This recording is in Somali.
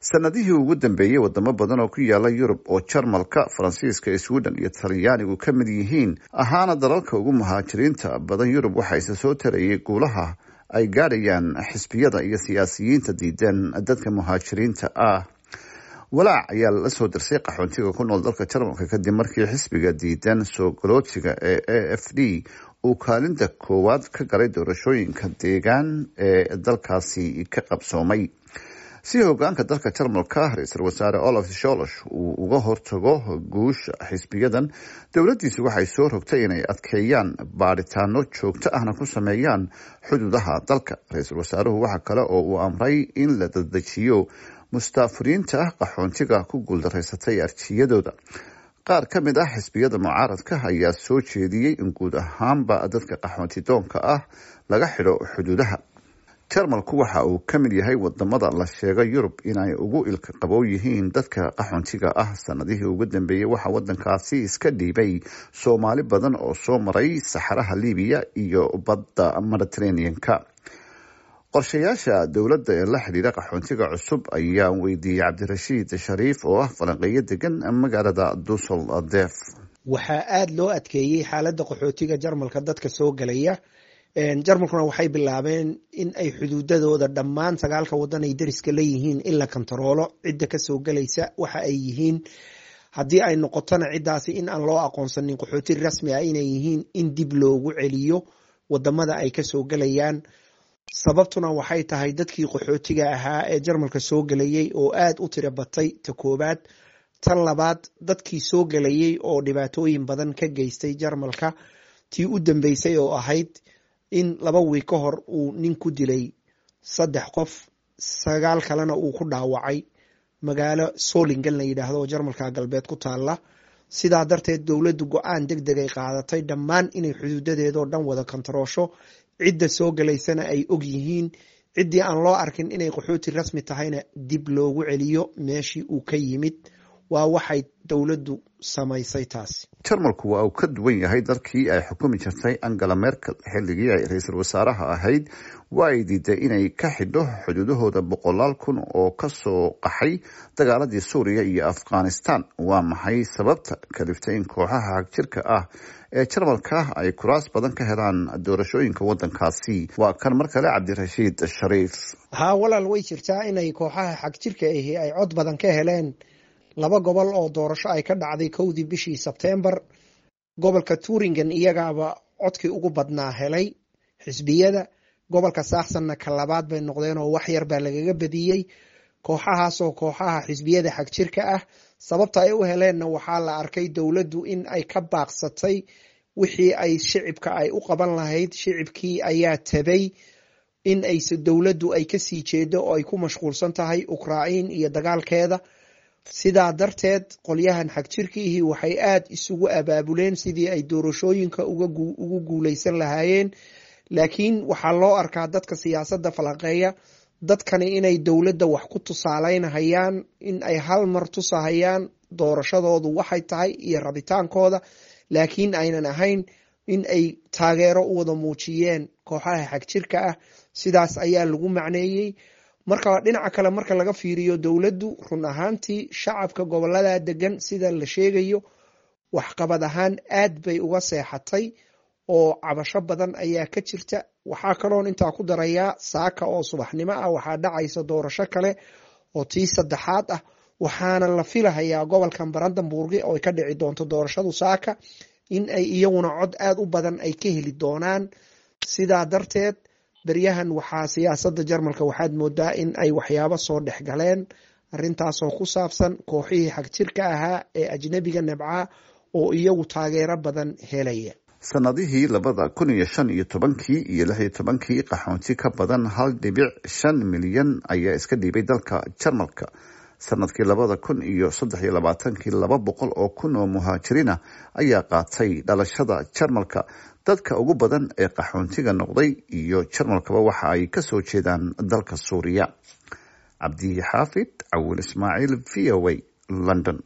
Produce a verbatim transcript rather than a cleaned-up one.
Sanadihii ugu dambeeyey, wadamo badan oo ku yaala Yurub oo Jarmalka, Faransiiska, Sweden iyo Talyaanigu ka mid yihiin, ahaana dalalka ugu muhaajiriinta badan Yurub, waxaa isa soo tarayay guulaha ay gaadhayaan xisbiyada iyo siyaasiyiinta diidan dadka muhaajiriinta ah. Walaac ayaa lala soo dirsay qaxoontiga ku nool dalka Jarmalka kadib markii xisbiga diidan soo galootiga ee A F D uu kaalinta koowaad ka galay doorashooyinka deegaan ee dalkaasi ka qabsoomay. Si hogaanka dalka Jarmalka, Ra-iisul Wasaare Olaf Scholz, uu uga hortago guusha xisbiyadan, dowladiisu waxay soo rogtay inay adkeeyaan baadhitaano joogto ahna ku sameeyaan xuduudaha dalka. Ra-iisul wasaaruhu waxa kale oo uu amray in la dadejiyo mustaafuriinta qaxoontiga ku guuldareysatay arjiyadooda. Qaar ka mid ah xisbiyada mucaaradka ayaa soo jeediyey in guud ahaanba dadka qaxoonti doonka ah laga xidho xuduudaha. Jarmalku waxa uu ka mid yahay wadamada la sheego Yurub inay ugu ilka qabow yihiin dadka qaxoontiga ah. Sanadihii ugu dambeeyey waxaa wadankaasi iska dhiibay Soomaali badan oo soo maray saxaraha Libiya iyo badda Mediterranean-ka. Qorshayaasha dowladda ee la xidhiira qaxoontiga cusub ayaa weydiiyey Cabdirashiid Shariif oo ah falanqeeyo degan magaalada Dusseldorf. Waxaa aada loo adkeeyey xaaladda qaxootiga Jarmalka dadka soo gelaya. Jarmalkuna waxay bilaabeen in ay xuduudadooda dhammaan sagaalka wadan ay deriska leeyihiin in la kantaroolo cidda kasoo gelaysa waxa ay yihiin, haddii ay noqotona ciddaasi in aan loo aqoonsanin qaxooti rasmi ah inay yihiin, in dib loogu celiyo wadamada ay kasoo gelayaan. Sababtuna waxay tahay dadkii qaxootiga ahaa ee Jarmalka soo gelayay oo aada u tiro batay, ta koobaad. Tan labaad, dadkii soo gelayay oo dhibaatooyin badan ka geystay Jarmalka, tii u dambeysay oo ahayd in laba wiig ka hor uu nin ku dilay saddex qof, sagaal kalena uu ku dhaawacay magaalo Solingen la yidhaahdo oo Jarmalka galbeed ku taala. Sidaa darteed dowladdu go-aan deg deg ay qaadatay dhammaan inay xuduudadeedoo dhan wada kontaroosho, cidda soo gelaysana ay og yihiin, ciddii aan loo arkin inay qaxooti rasmi tahayna dib loogu celiyo meeshii uu ka yimid. Waa waxay dowladdu samaysay taasi. Jarmalku waa uu ka duwan yahay dalkii ay xukumi jirtay Angela Merkel. Xilligii ay ra-iisul wasaaraha ahayd waa ay diiday inay ka xidho xuduudahooda boqolaal kun oo kasoo qaxay dagaaladii Suuriya iyo Afghanistan. Waa maxay sababta kaliftay in kooxaha xagjirka ah ee Jarmalka ay kuraas badan ka helaan doorashooyinka wadankaasi? Waa kan mar kale Cabdirashiid Shariif. Haa walaal, way jirtaa inay kooxaha xagjirka ahi ay cod badan ka heleen laba gobol oo doorasho ay ka dhacday kowdii bishii Sebtembar. Gobolka Turingen iyagaaba codkii ugu badnaa helay xisbiyada, gobolka Saaxsanna ka labaad bay noqdeen oo wax yar baa lagaga badiyey kooxahaasoo kooxaha xisbiyada xagjirka ah. Sababta ay u heleenna waxaa la arkay dowladdu in ay ka baaqsatay wixii ay shicibka ay u qaban lahayd. Shicibkii ayaa tabay in ay dowladdu ay kasii jeedo oo ay ku mashquulsan tahay Ukrain iyo dagaalkeeda. Sidaa darteed qolyahan xagjirkiihii waxay aada isugu abaabuleen sidii ay doorashooyinka ugu guuleysan lahaayeen. Laakiin waxaa loo arkaa dadka siyaasadda falanqeeya dadkani inay dowladda wax ku tusaaleynahayaan, in ay hal mar tusahayaan doorashadoodu waxay tahay iyo rabitaankooda, laakiin aynan ahayn in ay taageero u wada muujiyeen kooxaha xagjirka ah. Sidaas ayaa lagu macneeyey. Marka dhinaca kale marka laga fiiriyo, dowladdu run ahaantii shacabka gobolada degan, sida la sheegayo, waxqabad ahaan aad bay uga seexatay oo cabasho badan ayaa ka jirta. Waxaa kaloon intaa ku darayaa, saaka oo subaxnimo ah waxaa dhacaysa doorasho kale oo tii saddexaad ah, waxaana la filahayaa gobolkan Brandenburgi oo ay ka dhici doonto doorashadu saaka in ay iyaguna cod aada u badan ay ka heli doonaan. Sidaa darteed beryahan waxaa siyaasadda Jarmalka waxaad moodaa in ay waxyaabo soo dhex galeen, arrintaasoo ku saabsan kooxihii xagjirka ahaa ee ajnebiga nabcaa oo iyagu taageero badan helaya. Sanadihii labada kun iyo shan iyo tobankii iyo lix iyo tobankii, qaxoonti ka badan hal dhibic shan milyan ayaa iska dhiibay dalka Jarmalka. Sanadkii labada kun iyo saddex iyo labaatankii, laba boqol oo kun oo muhaajiriina ayaa qaatay dhalashada Jarmalka. Dadka ugu badan ee qaxoontiga noqday iyo Jarmalkaba waxa ay kasoo jeedaan dalka Suuriya. Cabdi Xaafid Cawil Ismaaciil, V O A, London.